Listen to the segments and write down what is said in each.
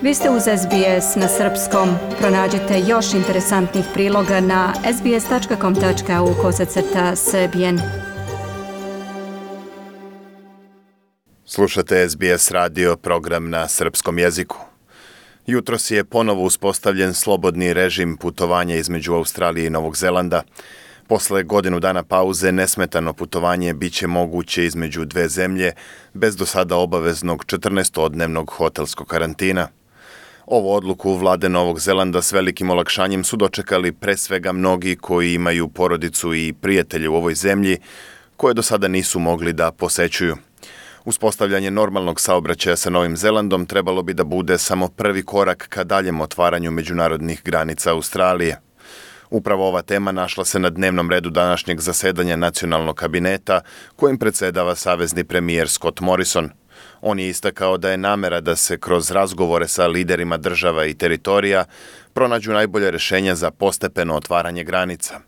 Vi ste uz SBS na srpskom. Pronađite još interesantnih priloga na sbs.com.au/srbijen. Slušate SBS radio, program na srpskom jeziku. Jutros je ponovo uspostavljen slobodni režim putovanja između Australije i Novog Zelanda. Posle godinu dana pauze nesmetano putovanje biće moguće između dve zemlje bez do sada obaveznog 14-dnevnog hotelskog karantina. Ovu odluku vlade Novog Zelanda s velikim olakšanjem su dočekali pre svega mnogi koji imaju porodicu i prijatelje u ovoj zemlji koje do sada nisu mogli da posećuju. Uspostavljanje normalnog saobraćaja sa Novim Zelandom trebalo bi da bude samo prvi korak ka daljem otvaranju međunarodnih granica Australije. Upravo ova tema našla se na dnevnom redu današnjeg zasedanja nacionalnog kabineta kojim predsedava savezni premijer Scott Morrison. On je istakao da je namera da se kroz razgovore sa liderima država i teritorija pronađu najbolje rešenja za postepeno otvaranje granica.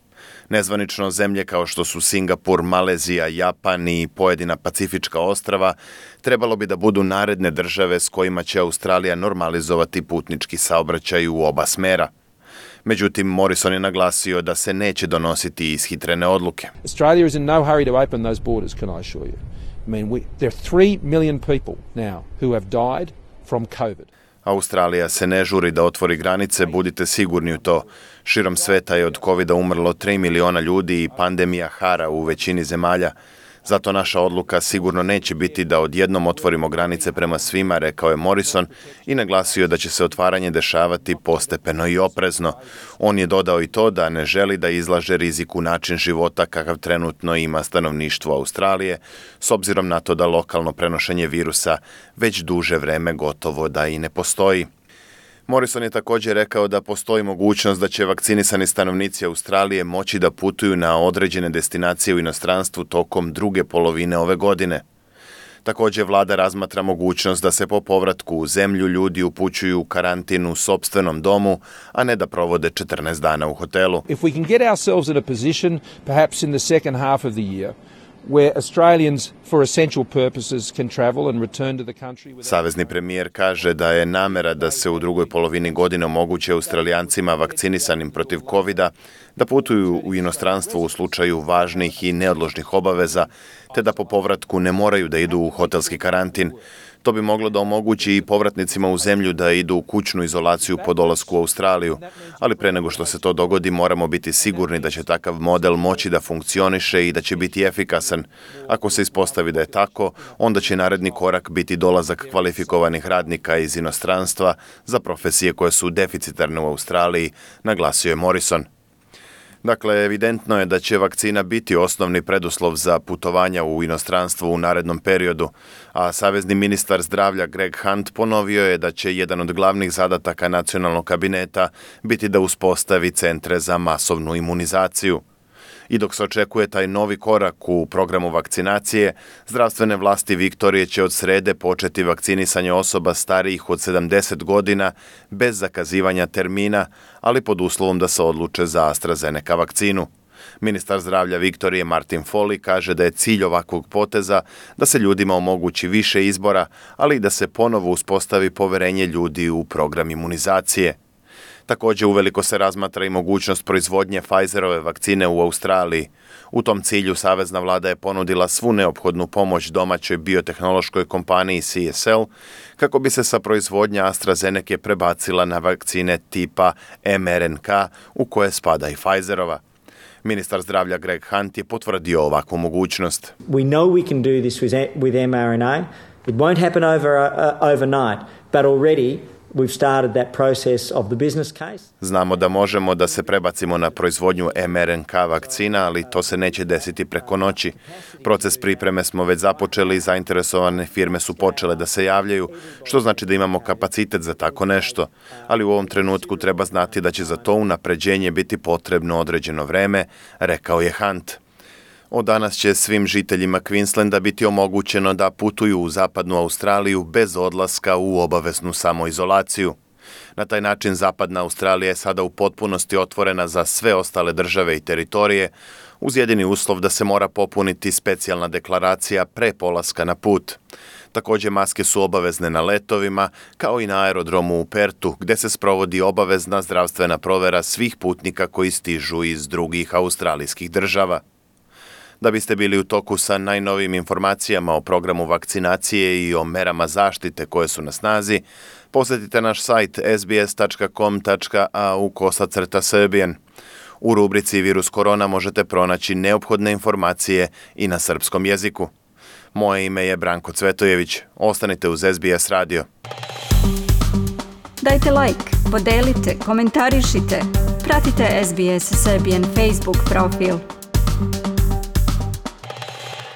Nezvanično zemlje kao što su Singapur, Malezija, Japan i pojedina pacifička ostrava trebalo bi da budu naredne države s kojima će Australija normalizovati putnički saobraćaj u oba smera. Međutim, Morrison je naglasio da se neće donositi ishitrene odluke. Australia is in no hurry to open those borders, can I assure you. I mean, there are 3 million people now who have died from COVID. Australija se ne žuri da otvori granice, budite sigurni u to. Širom sveta je od covida umrlo 3 miliona ljudi i pandemija hara u većini zemalja. Zato naša odluka sigurno neće biti da odjednom otvorimo granice prema svima, rekao je Morrison i naglasio da će se otvaranje dešavati postepeno i oprezno. On je dodao i to da ne želi da izlaže riziku način života kakav trenutno ima stanovništvo Australije, s obzirom na to da lokalno prenošenje virusa već duže vreme gotovo da i ne postoji. Morrison je također rekao da postoji mogućnost da će vakcinisani stanovnici Australije moći da putuju na određene destinacije u inostranstvu tokom druge polovine ove godine. Također vlada razmatra mogućnost da se po povratku u zemlju ljudi upućuju u karantin u sopstvenom domu, a ne da provode 14 dana u hotelu. If we can get ourselves in a position, perhaps in the second half of the year, where Australians for essential purposes can travel and return to the country. Savezni premijer kaže da je namera da se u drugoj polovini godine omogući Australijancima vakcinisanim protiv covida da putuju u inostranstvo u slučaju važnih i neodložnih obaveza, te da po povratku ne moraju da idu u hotelski karantin. To bi moglo da omogući i povratnicima u zemlju da idu u kućnu izolaciju po dolasku u Australiju, ali pre nego što se to dogodi moramo biti sigurni da će takav model moći da funkcioniše i da će biti efikasan. Ako se ispostavi da je tako, onda će naredni korak biti dolazak kvalifikovanih radnika iz inostranstva za profesije koje su deficitarne u Australiji, naglasio je Morrison. Dakle, evidentno je da će vakcina biti osnovni preduslov za putovanja u inostranstvo u narednom periodu, a savezni ministar zdravlja Greg Hunt ponovio je da će jedan od glavnih zadataka nacionalnog kabineta biti da uspostavi centre za masovnu imunizaciju. I dok se očekuje taj novi korak u programu vakcinacije, zdravstvene vlasti Viktorije će od srede početi vakcinisanje osoba starijih od 70 godina bez zakazivanja termina, ali pod uslovom da se odluče za AstraZeneca vakcinu. Ministar zdravlja Viktorije Martin Foley kaže da je cilj ovakvog poteza da se ljudima omogući više izbora, ali i da se ponovo uspostavi poverenje ljudi u program imunizacije. Također uveliko se razmatra i mogućnost proizvodnje Pfizerove vakcine u Australiji. U tom cilju savezna vlada je ponudila svu neophodnu pomoć domaćoj biotehnološkoj kompaniji CSL kako bi se sa proizvodnja AstraZeneca prebacila na vakcine tipa mRNK u koje spada i Pfizerova. Ministar zdravlja Greg Hunt je potvrdio ovakvu mogućnost. We know we can do this with mRNA. It won't happen overnight, but already we've started that process of the business case. Znamo da možemo da se prebacimo na proizvodnju mRNK vakcina, ali to se neće desiti preko noći. Proces pripreme smo već započeli i zainteresovane firme su počele da se javljaju, što znači da imamo kapacitet za tako nešto. Ali u ovom trenutku treba znati da će za to unapređenje biti potrebno određeno vreme, rekao je Hunt. Od danas će svim žiteljima Queenslanda biti omogućeno da putuju u zapadnu Australiju bez odlaska u obaveznu samoizolaciju. Na taj način zapadna Australija je sada u potpunosti otvorena za sve ostale države i teritorije, uz jedini uslov da se mora popuniti specijalna deklaracija pre polaska na put. Također maske su obavezne na letovima, kao i na aerodromu u Pertu, gdje se sprovodi obavezna zdravstvena provjera svih putnika koji stižu iz drugih australijskih država. Da biste bili u toku sa najnovijim informacijama o programu vakcinacije i o merama zaštite koje su na snazi, posjetite naš sajt sbs.com.au/Serbian. U rubrici Virus korona možete pronaći neophodne informacije i na srpskom jeziku. Moje ime je Branko Cvetojević. Ostanite uz SBS radio. Dajte like, podelite, komentarišite. Pratite SBS Serbian Facebook profil.